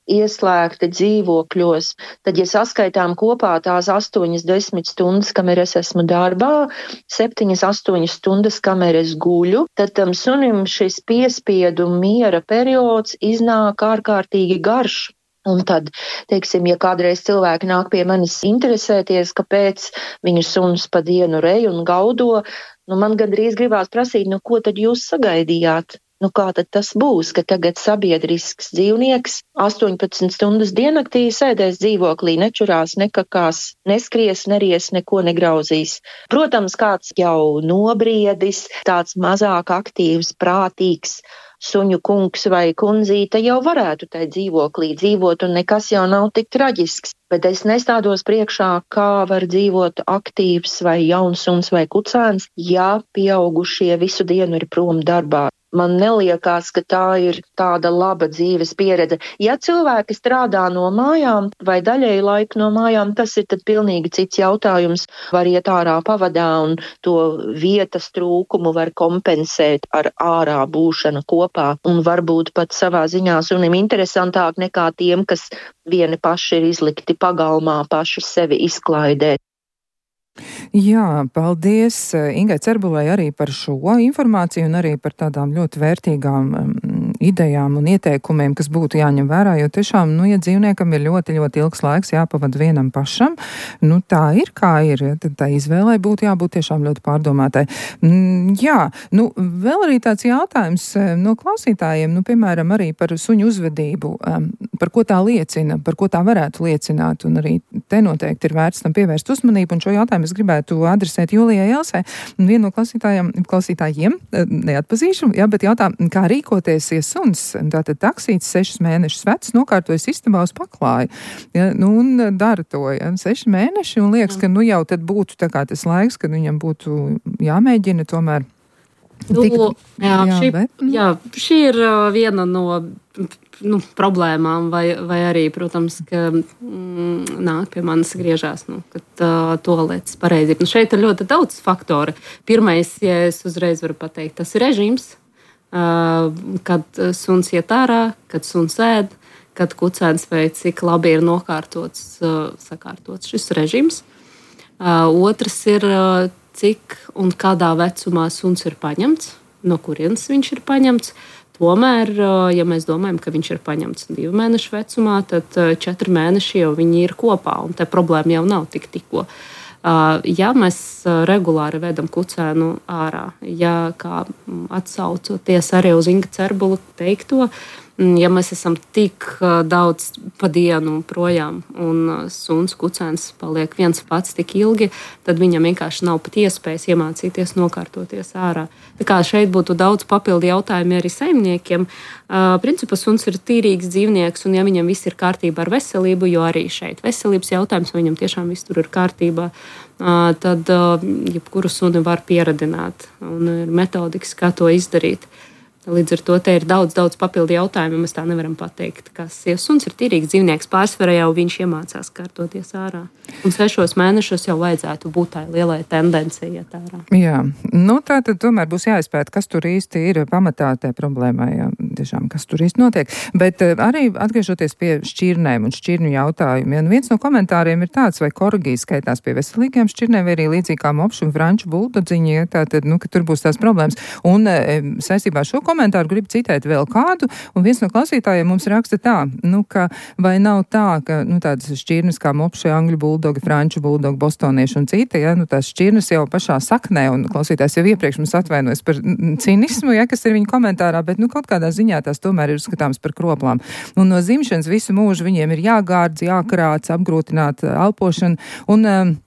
Ieslēgti dzīvokļos, tad, ja saskaitām kopā tās 8-10 stundas, kamēr es esmu darbā, 7-8 stundas, kamēr es guļu, tad tam sunim šis piespiedu miera periods iznāk ārkārtīgi garš. Un tad, teiksim, ja kādreiz cilvēki nāk pie manis interesēties, kāpēc viņu suns pa dienu rej un gaudo, man gandrīz gribās prasīt, ko tad jūs sagaidījāt? Kā tad tas būs, ka tagad sabiedrisks dzīvnieks 18 stundas diennaktī sēdēs dzīvoklī, nečurās, nekakās, neskries, neries, neko negrauzīs. Protams, kāds jau nobriedis, tāds mazāk aktīvs, prātīgs suņu kungs vai kundzīte jau varētu tai dzīvoklī dzīvot, un nekas jau nav tik traģisks. Bet es nestādos priekšā, kā var dzīvot aktīvs vai jauns suns vai kucēns, ja pieaugušie visu dienu ir prom darbā. Man neliekās, ka tā ir tāda laba dzīves pieredze. Ja cilvēki strādā no mājām vai daļēji laiku no mājām, tas ir tad pilnīgi cits jautājums. Var iet ārā pavadā un to vietas trūkumu var kompensēt ar ārā būšanu kopā. Un varbūt pat savā ziņā sunim interesantāk nekā tiem, kas vieni paši ir izlikti pagalmā, paši sevi izklaidēt. Jā, paldies Ingai Cerbulai arī par šo informāciju un arī par tādām ļoti vērtīgām idejām un ieteikumiem, kas būtu jāņem vērā, jo tiešām, ja dzīvniekam ir ļoti, ļoti ilgs laiks jāpavada vienam pašam, tā ir kā ir, tad tā izvēlei būtu jābūt tiešām ļoti pārdomātai. Jā, vēl arī tāds jautājums no klausītājiem, piemēram, arī par suņu uzvedību, par ko tā liecina, par ko tā varētu liecināt, un arī te noteikti ir vērts tam pievērst uzmanību, un šo jautājumu es gribētu adresēt Julijai Elsai. Vienu no klausītājiem, neatpazīšu, bet jautā, kā rīkoties, ja suns, tātad taksīts 6 mēnešus vecs, nokārtojas istabā uz paklāju, un dara to, 6 mēneši, un liekas, ka jau tad būtu tā kā tas laiks, kad viņam būtu jāmēģina tomēr. Šī ir viena no problēmām, vai arī, protams, ka nāk pie manis griežās, kad toaletes pareizi. Šeit ir ļoti daudz faktori. Pirmais, ja es uzreiz varu pateikt, tas ir režīms, kad suns iet ārā, kad suns ēd, kad kucēns vai cik labi ir sakārtots šis režīms. Otrs ir, cik un kādā vecumā suns ir paņemts, no kurienes viņš ir paņemts. Tomēr, ja mēs domājam, ka viņš ir paņemts 2 mēnešu vecumā, tad 4 mēneši jau viņi ir kopā, un te problēma jau nav tikko. Ja mēs regulāri vedam kucēnu ārā, ja kā atsaucoties arī uz Inga Cerbula teikto, ja mēs esam tik daudz pa dienu projām un suns kucēns paliek viens pats tik ilgi, tad viņam vienkārši nav pat iespējas iemācīties nokārtoties ārā. Tā kā šeit būtu daudz papildu jautājumi arī saimniekiem. Principā suns ir tīrīgs dzīvnieks, un ja viņam viss ir kārtībā ar veselību, jo arī šeit veselības jautājums, vai viņam tiešām viss tur ir kārtībā, tad jebkuru suni var pieradināt, un ir metodikas, kā to izdarīt. Līdz ar to te ir daudz papildu jautājumu, mēs tā nevaram pateikt, kas, ja suns ir tīrīgs dzīvnieks, pārsvarā jau viņš iemācās kārtoties ārā. Un 6 mēnešos jau vajadzētu būt tā lielai tendencei iet ārā. Jā, tā tad tomēr būs jāizpēt, kas tur īsti ir pamatā tai problēmai, tiešām, kas tur īsti notiek. Bet arī atgriežoties pie šķirnēm un šķirņu jautājumiem, viens no komentāriem ir tāds, vai korgijas skaitās pie veselīgiem šķirnēm, vai arī līdzīgi kā mopšu un franču buldodziņi, tātad, ka tur būs tās problēmas. Un saistībā ar šo komentāru, gribu citēt vēl kādu, un viens no klausītājiem mums raksta tā, ka vai nav tā, ka, tādas šķirnes kā mopšie, angļu buldogi, franču buldogi, bostonieši un citi, tās šķirnes jau pašā saknē, un klausītājs jau iepriekš mums atvainojas par cinismu, kas ir viņa komentārā, bet, kaut kādā ziņā tās tomēr ir uzskatāms par kroplām. Un no dzimšanas visu mūžu viņiem ir jāgārdz, jākarāc, apgrūtināt elpošanu, un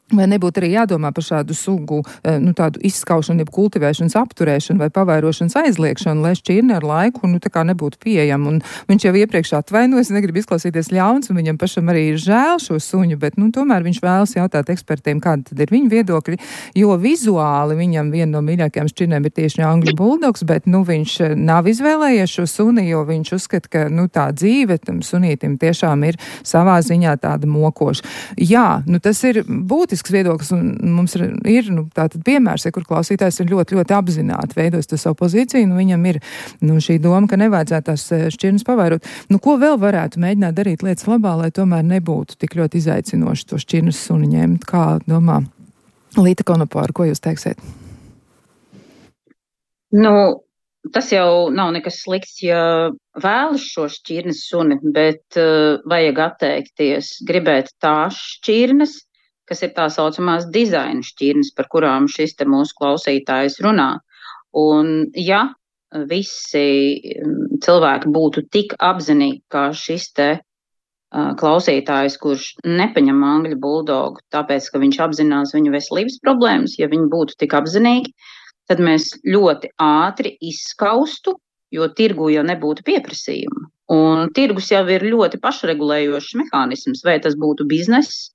vai nebūtu arī jādomā par šādu sugu, tādu izskaušanu, jeb kultivēšanas apturēšanu vai pavairošanas aizliekšanu, lai šķirne ar laiku, tā kā nebūtu pieejama. Un viņš jau iepriekš atvainojas, negrib izklausīties ļauns, un viņam pašam arī ir žēl šo suņu, bet, tomēr viņš vēlas jautāt ekspertiem, kāda tad ir viņa viedokļi, jo vizuāli viņam viena no mīļākajām šķirnēm ir tieši angļu buldogs, bet, viņš nav izvēlējies šo suni, jo viņš uzskata, ka, tā dzīve tam sunītim tiešām ir savā ziņā tāda mokoša. Jā, tas ir būtiski viedoklis, un mums ir tātad piemērs, kur klausītājs ir ļoti, ļoti apzināti veidojis to savu pozīciju, viņam ir šī doma, ka nevajadzētu tās šķirnes pavairot. Ko vēl varētu mēģināt darīt lietas labā, lai tomēr nebūtu tik ļoti izaicinoši to šķirnes suni ņemt? Kā domā Līta Konopāra, ko jūs teiksiet? Tas jau nav nekas slikts, ja vēlas šo šķirnes suni, bet vajag atteikties, gribēt tās šķirnes, kas ir tā saucamās dizaina šķirnes, par kurām šis te mūsu klausītājs runā. Un ja visi cilvēki būtu tik apzinīgi, kā šis te klausītājs, kurš nepaņem angļu buldogu, tāpēc, ka viņš apzinās viņu veselības problēmas, ja viņi būtu tik apzinīgi, tad mēs ļoti ātri izskaustu, jo tirgu jau nebūtu pieprasījuma. Un tirgus jau ir ļoti pašregulējošs mehānisms, vai tas būtu bizness,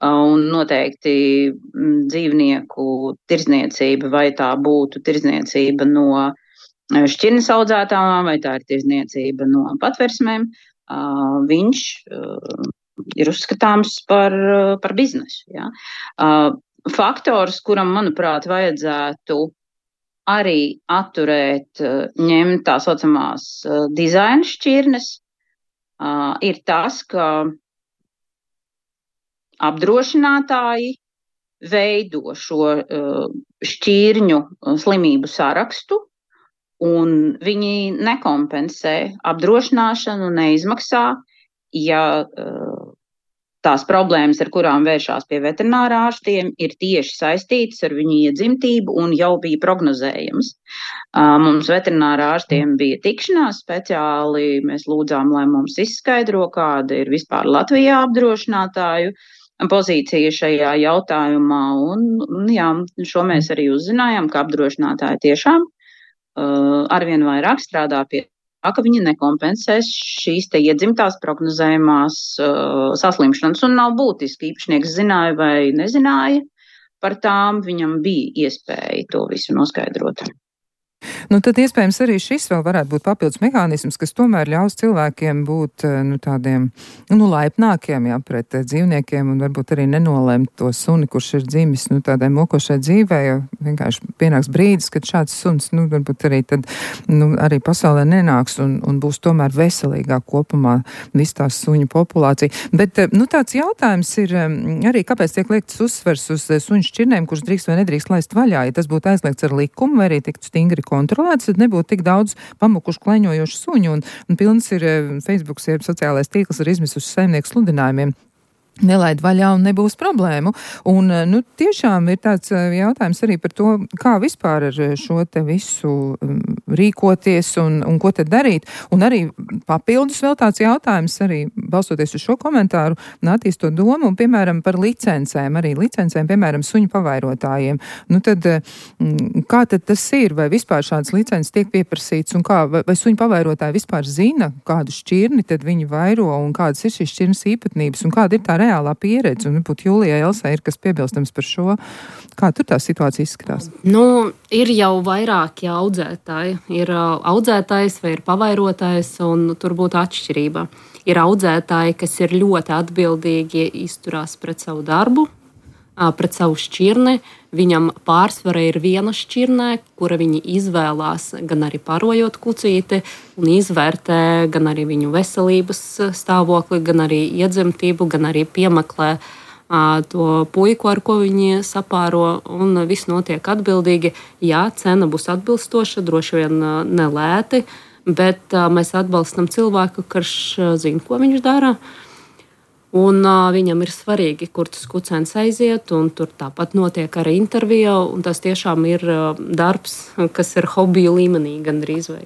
un noteikti dzīvnieku tirdzniecība, vai tā būtu tirdzniecība no šķirnes audzētājām, vai tā ir tirdzniecība no patversmēm, viņš ir uzskatāms par biznesu. Ja? Faktors, kuram, manuprāt, vajadzētu arī atturēt, ņemt tā saucamās dizaina šķirnes, ir tas, ka apdrošinātāji veido šo šķirņu slimību sarakstu, un viņi nekompensē apdrošināšanu, neizmaksā, ja tās problēmas, ar kurām vēršās pie veterinārā ārstiem, ir tieši saistītas ar viņu iedzimtību un jau bija prognozējams. Mums veterinārā ārstiem bija tikšanās speciāli, mēs lūdzām, lai mums izskaidro, kāda ir vispār Latvijā apdrošinātāju pozīcija šajā jautājumā, un šo mēs arī uzzinājām, ka apdrošinātāji tiešām arvien vairāk strādā pie tā, ka viņi nekompensēs šīs te iedzimtās prognozējumās saslimšanas, un nav būtiski, īpašnieks zināja vai nezināja par tām, viņam bija iespēja to visu noskaidrot. Tad iespējams arī šis vēl varētu būt papildus mehānisms, kas tomēr ļaus cilvēkiem būt tādiem laipnākiem pret dzīvniekiem un varbūt arī nenolēmt to suni, kurš ir dzimis tādai mokošai dzīvē, jo vienkārši pienāks brīdis, kad šāds suns varbūt arī tad arī pasaulē nenāks un būs tomēr veselīgāk kopumā viss tās suņu populācija. Bet tāds jautājums ir arī, kāpēc tiek liekts uzsvers uz suņu šķirnēm, kurš drīkst vai nedrīkst laist vaļā, ja tas būtu aizliegts ar likumu vai arī tiktu stingri kontrolēts, tad nebūtu tik daudz pamukušu kleņojošu suņu, un pilns ir Facebooks, ir sociālais tīkls ar izmisušu saimnieku sludinājumiem. Nelaid vaļā un nebūs problēmu. Un, tiešām ir tāds jautājums arī par to, kā vispār ar šo te visu rīkoties un ko te darīt. Un arī papildus vēl tāds jautājums, arī balstoties uz šo komentāru, attīstot domu, un, piemēram, par licencēm, piemēram, suņu pavairotājiem. Tad, kā tad tas ir? Vai vispār šādas licences tiek pieprasīts, un kā, vai suņu pavairotāji vispār zina, kādu šķirni tad viņi vairo, un kādas ir šīs šķirnes īpatnības, un kāda ir tā reālā pieredze, un būtu Jūlijai Elsai ir kas piebilstams par šo. Kā tur tā situācija izskatās? Ir jau vairāki audzētāji. Ir audzētājs vai ir pavairotājs, un tur būtu atšķirība. Ir audzētāji, kas ir ļoti atbildīgi, izturās pret savu darbu, pret savu šķirni. Viņam pārsvara ir viena šķirnē, kura viņi izvēlās gan arī parojot kucīti un izvērtē gan arī viņu veselības stāvokli, gan arī iedzimtību, gan arī piemeklē to puiku, ar ko viņi sapāro, un viss notiek atbildīgi. Jā, cena būs atbilstoša, droši vien nelēti, bet mēs atbalstam cilvēku, kurš zina, ko viņš dara. Un viņam ir svarīgi, kur tas kucēns aiziet, un tur tāpat notiek arī intervija, un tas tiešām ir darbs, kas ir hobiju līmenī gandrīz vai.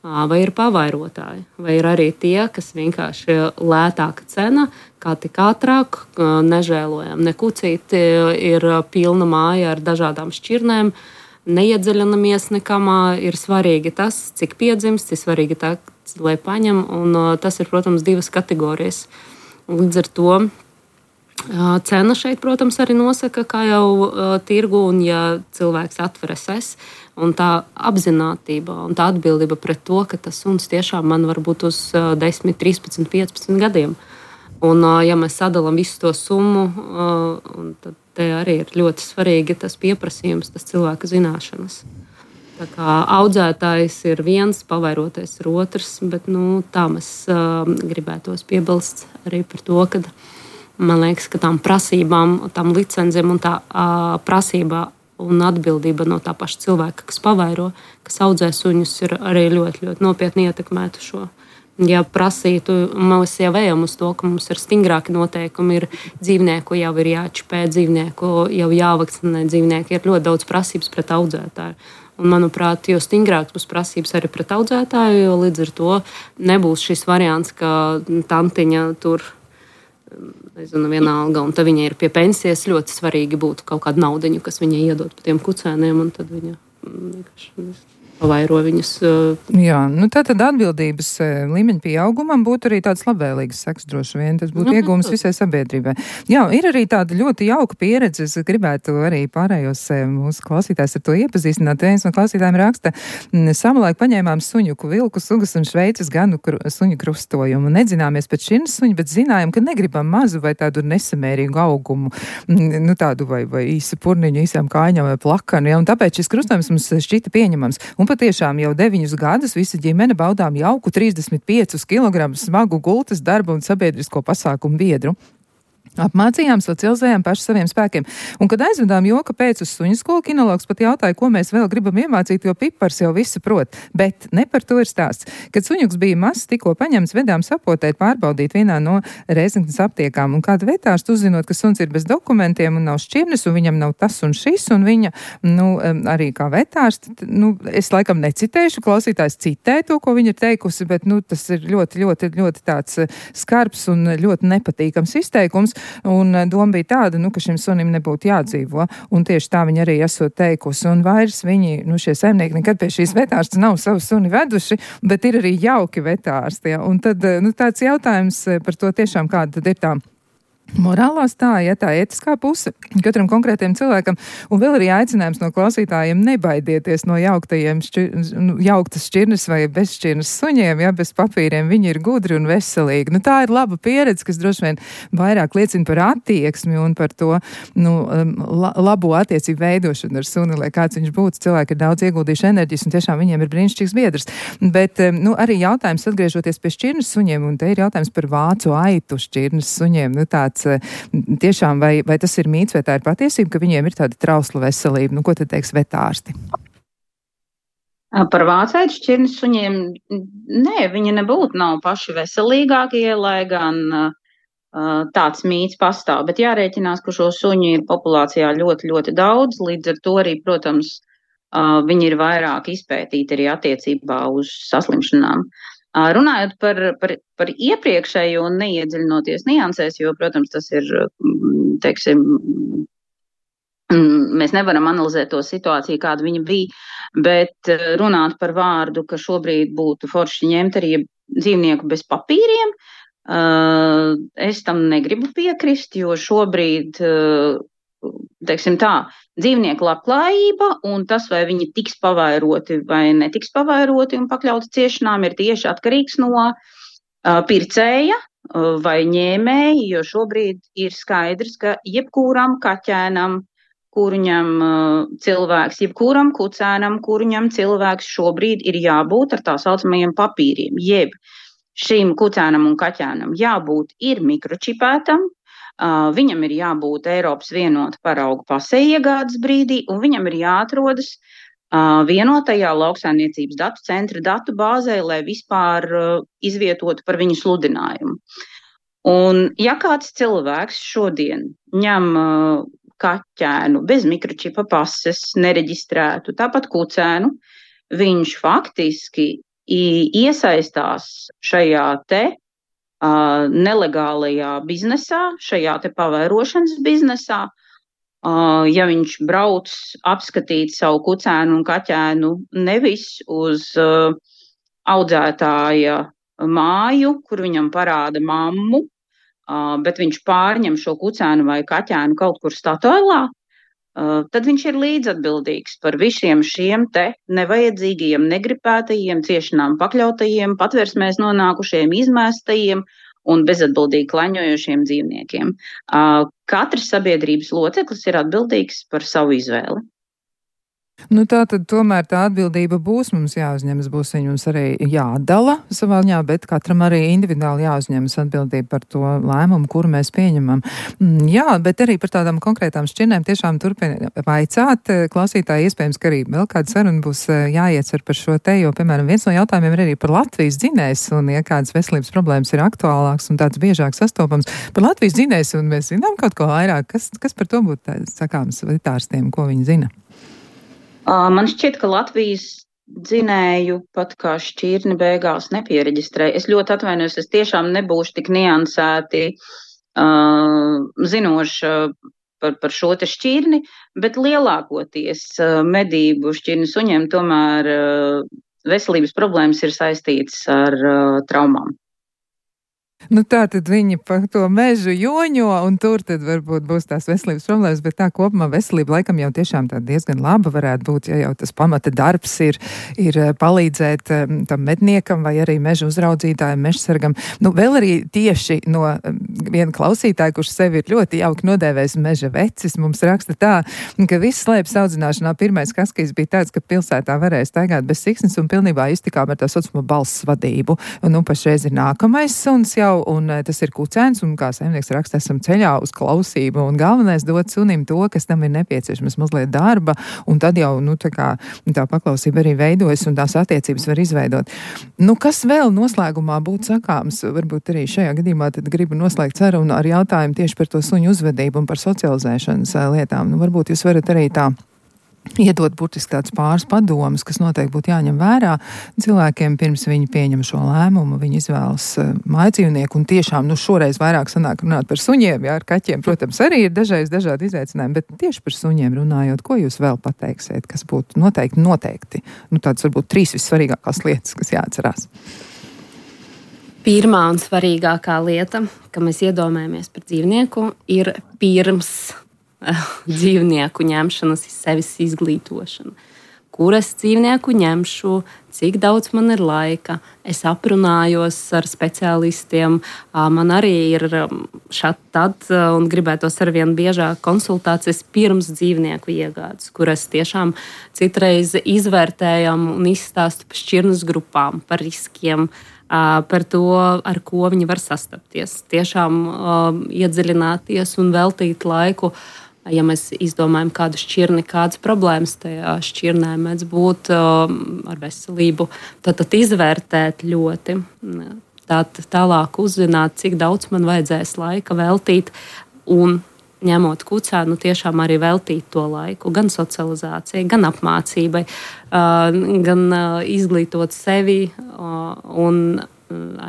Vai ir pavairotāji, vai ir arī tie, kas vienkārši lētāka cena, kā tik ātrāk, nežēlojam nekucīti, ir pilna māja ar dažādām šķirnēm, neiedziļinamies nekamā, ir svarīgi tas, cik piedzimst, ir svarīgi tā, lai paņem, un tas ir, protams, divas kategorijas. Līdz ar to cena šeit, protams, arī nosaka, kā jau tirgu, un ja cilvēks atveres un tā apzinātība un tā atbildība pret to, ka tas suns tiešām man var būt uz 10, 13, 15 gadiem. Un ja mēs sadalām visu to summu, tad te arī ir ļoti svarīgi tas pieprasījums, tas cilvēka zināšanas. Tā kā audzētājs ir viens, pavairotais ir otrs, bet tā mēs gribētos piebilst arī par to, ka man liekas, ka tām prasībām, tām licencēm un tā prasībā un atbildība no tā paša cilvēka, kas pavairo, kas audzē suņus, ir arī ļoti, ļoti nopietni ietekmētu šo. Ja prasītu, mēs jau ejam uz to, ka mums ir stingrāki noteikumi, ir dzīvnieku jau ir jāčipē, dzīvnieku jau jāvakcinē, dzīvnieki ir ļoti daudz prasības pret audzētāju. Un, manuprāt, jo stingrāks būs prasības arī pret audzētāju, jo līdz ar to nebūs šis variants, ka tantiņa tur nezinu, vienalga, un tad viņa ir pie pensijas, ļoti svarīgi būtu kaut kādu naudiņu, kas viņai iedot pa tiem kucēniem, un tad viņa vienkārši pavairo viņus. Jā, tātad atbildības līmeņa pieaugumam būtu arī tāds labvēlīgs seks droši vien. Tas būtu iegūms visai sabiedrībai. Jā, ir arī tāda ļoti jauka pieredze. Es gribētu arī pārējos mūsu klausītājs ar to iepazīstināt. Viens no klausītājiem raksta, savulaik paņēmām suņuku, vilku sugas un Šveices ganu suņu krustojumu. Nedzināmies pēc šķirnes suņu, bet zinājām, ka negribam mazu vai tādu nesamērīgu augumu. Tādu vai īsu purniņu, īsām kājņām vai plakanu. Ja, un tāpēc šis krustojums mums šķita pieņemams. Un patiešām jau 9 gadus visa ģimene baudām jauku 35 kg smagu gultas darbu un sabiedrisko pasākumu biedru. Apmācījām, socializējām paši saviem spēkiem. Un, kad aizvedām joka pēc uz suņu skolu, kinologs pat jautāja, ko mēs vēl gribam iemācīt, jo pipars jau visu prot. Bet ne par to ir stāsts. Kad suņuks bija mazs, tikko paņemts, vedām sapotēt, pārbaudīt vienā no Rēzeknes aptiekām. Un kāda vetārsts uzzinot, ka suns ir bez dokumentiem un nav šķirnes, un viņam nav tas un šis, un viņa, arī kā vetārsts, es laikam necitēšu, klausītājs citē to, ko viņa ir teikusi, bet, tas ir ļoti, ļoti, ļoti tāds skarbs un ļoti nepatīkams izteikums. Un doma bija tāda, ka šim sunim nebūtu jādzīvo, un tieši tā viņa arī esot teikusi, un vairs viņi, šie saimnieki nekad pie šīs vetārsts nav savu suni veduši, bet ir arī jauki vetārsti, ja? Un tad, tāds jautājums par to tiešām, kāda tad ir tā morālā stāja, tā ētiskā puse katram konkrētiem cilvēkam, un vēl arī aicinājums no klausītājiem nebaidieties no jauktas šķirnes vai bezšķirnes suņiem, ja, bez papīriem, viņi ir gudri un veselīgi. Tā ir laba pieredze, kas droši vien vairāk liecina par attieksmi un par to, labo attiecību veidošanu ar suni, lai kāds viņš būtu. Cilvēki ir daudz ieguldījuši enerģijas, un tiešām viņiem ir brīnišķīgs biedrs. Bet, arī jautājums atgriežoties pie šķirnes suņiem, un te ir jautājums par vācu aitu šķirnes suņiem, tiešām, vai tas ir mīts, vai tā ir patiesība, ka viņiem ir tāda trausla veselība? Ko tad teiks vetārsti? Par vācaitu šķirnes suņiem, viņi nebūtu nav paši veselīgākie, lai gan tāds mīts pastāv. Bet jārēķinās, ka šo suņu ir populācijā ļoti, ļoti daudz, līdz ar to arī, protams, viņi ir vairāk izpētīti arī attiecībā uz saslimšanām. Runājot par iepriekšējo un neiedziļinoties niansēs, jo, protams, tas ir, teiksim, mēs nevaram analizēt to situāciju, kāda viņa bija, bet runāt par vārdu, ka šobrīd būtu forši ņemt arī dzīvnieku bez papīriem, es tam negribu piekrist, jo šobrīd, teiksim tā, dzīvnieku labklājība un tas, vai viņi tiks pavairoti vai netiks pavairoti un pakļauti ciešanām, ir tieši atkarīgs no pircēja vai ņēmēja, jo šobrīd ir skaidrs, ka jebkuram kaķēnam, kuru ņem cilvēks, jebkuram kucēnam, kuru ņem cilvēks, šobrīd ir jābūt ar tā saucamajiem papīriem, jeb šim kucēnam un kaķēnam jābūt ir mikročipētam, Viņam ir jābūt Eiropas vienota parauga pasē iegādes brīdī, un viņam ir jāatrodas vienotajā lauksaimniecības datu centra datu bāzē, lai vispār izvietotu par viņu sludinājumu. Un ja kāds cilvēks šodien ņem kaķēnu bez mikročipa pases, nereģistrētu, tāpat kucēnu, viņš faktiski iesaistās šajā te nelegālajā biznesā, šajā te pavairošanas biznesā. Ja viņš brauc apskatīt savu kucēnu un kaķēnu nevis uz audzētāja māju, kur viņam parāda mammu, bet viņš pārņem šo kucēnu vai kaķēnu kaut kur Statoilā, tad viņš ir līdzatbildīgs par visiem šiem te nevajadzīgajiem, negribētajiem, ciešanām pakļautajiem, patversmēs nonākušiem, izmēstajiem un bezatbildīgi klaņojošiem dzīvniekiem. Katrs sabiedrības loceklis ir atbildīgs par savu izvēli. Nu tā tad tomēr tā atbildība būs mums jāuzņemas, būs viņums arī jādala savā ziņā, bet katram arī individuāli jāuzņemas atbildība par to lēmumu, kuru mēs pieņemam. Jā, bet arī par tādām konkrētām šķirnēm tiešām turpina vaicāt. Klausītāji iespējams, ka arī vēl kāda saruna būs jāietver par šo te, jo, piemēram, viens no jautājumiem ir arī par Latvijas dzinējs, un ja kādas veselības problēmas ir aktuālāks un tāds biežāk sastopams par Latvijas dzinējs, un mēs zinām kaut ko vairāk, kas par to būtu sakāms vetārstiem, ko viņi zina? Man šķiet, ka Latvijas dzinēju pat kā šķirni beigās nepiereģistrēja. Es ļoti atvainojos, es tiešām nebūšu tik niansēti zinoša par šo te šķirni, bet lielākoties medību šķirni suņiem tomēr veselības problēmas ir saistītas ar traumām. Nu tā tad viņi par to mežu joņo, un tur tad varbūt būs tās veselības problēmas, bet tā kopumā veselība laikam jau tiešām tā diezgan laba varētu būt, ja jau tas pamata darbs ir palīdzēt tam medniekam vai arī meža uzraudzītājiem, mežsargam. Nu vēl arī tieši no viena klausītāja, kurš sevi ir ļoti jauki nodēvējis meža vecis, mums raksta tā, ka viss slēpes audzināšanā pirmais kaskīs bija tāds, ka pilsētā varēja staigāt bez siksnes un pilnībā iztikām ar tā saucamo balss vadību. Un pašreiz ir nākamais suns jau, un tas ir kucēns, un kā saimnieks raksta, esam ceļā uz klausību, un galvenais dot sunim to, kas tam ir nepieciešams, mazliet darba, un tad jau, tā paklausība arī veidojas, un tās attiecības var izveidot. Kas vēl noslēgumā būtu sakāms? Varbūt arī šajā gadījumā tad gribu noslēgt sarunu ar jautājumu tieši par to suņu uzvedību un par socializēšanas lietām. Varbūt jūs varat arī tā iedot burtiski tāds pāris padomus, kas noteikti būtu jāņem vērā cilvēkiem pirms viņi pieņem šo lēmumu, viņi izvēlas mājdzīvnieku, un tiešām, šoreiz vairāk sanāk runāt par suņiem, ar kaķiem, protams, arī ir dažādi izaicinājumi, bet tieši par suņiem runājot, ko jūs vēl pateiksiet, kas būtu noteikti, tāds varbūt 3 vissvarīgākās lietas, kas jāatcerās? Pirmā un svarīgākā lieta, ka mēs iedomājamies par dzīvnieku, ir pirms dzīvnieku ņemšanas sevis izglītošana. Kur es dzīvnieku ņemšu, cik daudz man ir laika, es aprunājos ar speciālistiem, man arī ir tad un gribētos arvien biežāk konsultācijas pirms dzīvnieku iegādes, kur es tiešām citreiz izvērtējam un izstāstu par šķirnes grupām, par riskiem, par to, ar ko viņi var sastapties. Tiešām iedziļināties un veltīt laiku. Ja mēs izdomājam kādu šķirni, kādas problēmas tajā šķirnē mēdz būt ar veselību, tad izvērtēt ļoti. Tālāk uzzināt, cik daudz man vajadzēs laika veltīt un ņemot kucēnu, tiešām arī veltīt to laiku gan socializācijai, gan apmācībai, gan izglītot sevi un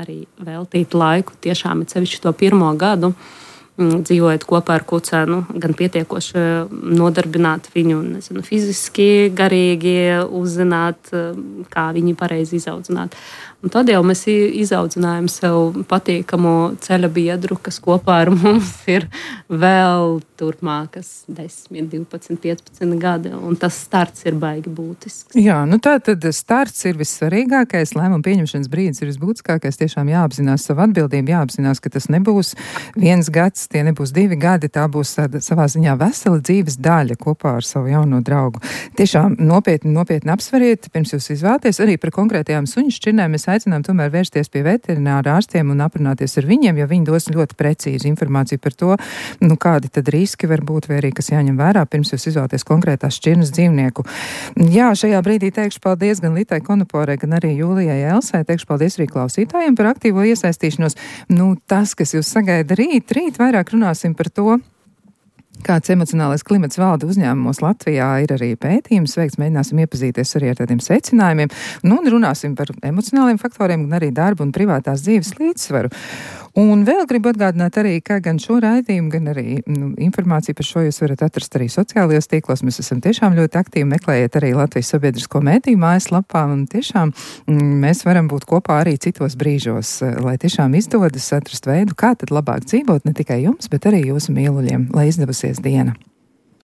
arī veltīt laiku tiešām ir sevišķi to pirmo gadu. Dzīvojot kopā ar kucēnu, gan pietiekoši nodarbināt viņu, fiziski, garīgi, uzzināt, kā viņi pareizi izaudzināt. Un tad jau mēs izaudzinājām sev patīkamu ceļa biedru, kas kopā ar mums ir vēl turpmākas 10, 12, 15 gadi, un tas starts ir baigi būtisks. Jā, tā tad starts ir vissvarīgākais, lēmuma pieņemšanas brīdis ir visbūtiskākais, tiešām jāapzinās savu atbildību, jāapzinās, ka tas nebūs 1 gads, tie nebūs 2 gadi, tā būs savā ziņā vesela dzīves daļa kopā ar savu jauno draugu. Tiešām nopietni apsveriet, pirms jūs izvēlaties. Arī par konkrētajām suņu šķirnēm mēs aicinām tomēr vērsties pie veterināra ārstiem un aprunāties ar viņiem, jo viņi dos ļoti precīzu informāciju par to, kādi tad riski var būt vai arī kas jāņem vērā, pirms jūs izvēlaties konkrētās šķirnes dzīvnieku. Jā, šajā brīdī teikšu paldies gan Litai Konoporai, gan arī Jūlijai Elsai. Teikšu paldies arī klausītājiem par aktīvo iesaistīšanos. Tas, kas jūs sagaida rīt vairāk runāsim par to, kāds emocionālais klimats valda uzņēmumos Latvijā. Ir arī pētījums veikts, mēģināsim iepazīties arī ar tādiem secinājumiem. Un runāsim par emocionāliem faktoriem, gan arī darba un privātās dzīves līdzsvaru. Un vēl gribu atgādināt arī, ka gan šo raidījumu, gan arī informāciju par šo jūs varat atrast arī sociālajos tīklos. Mēs esam tiešām ļoti aktīvi, meklējiet arī Latvijas sabiedrisko mediju mājaslapā, un tiešām mēs varam būt kopā arī citos brīžos, lai tiešām izdodas atrast veidu, kā tad labāk dzīvot ne tikai jums, bet arī jūsu mīluļiem, lai izdevusies diena.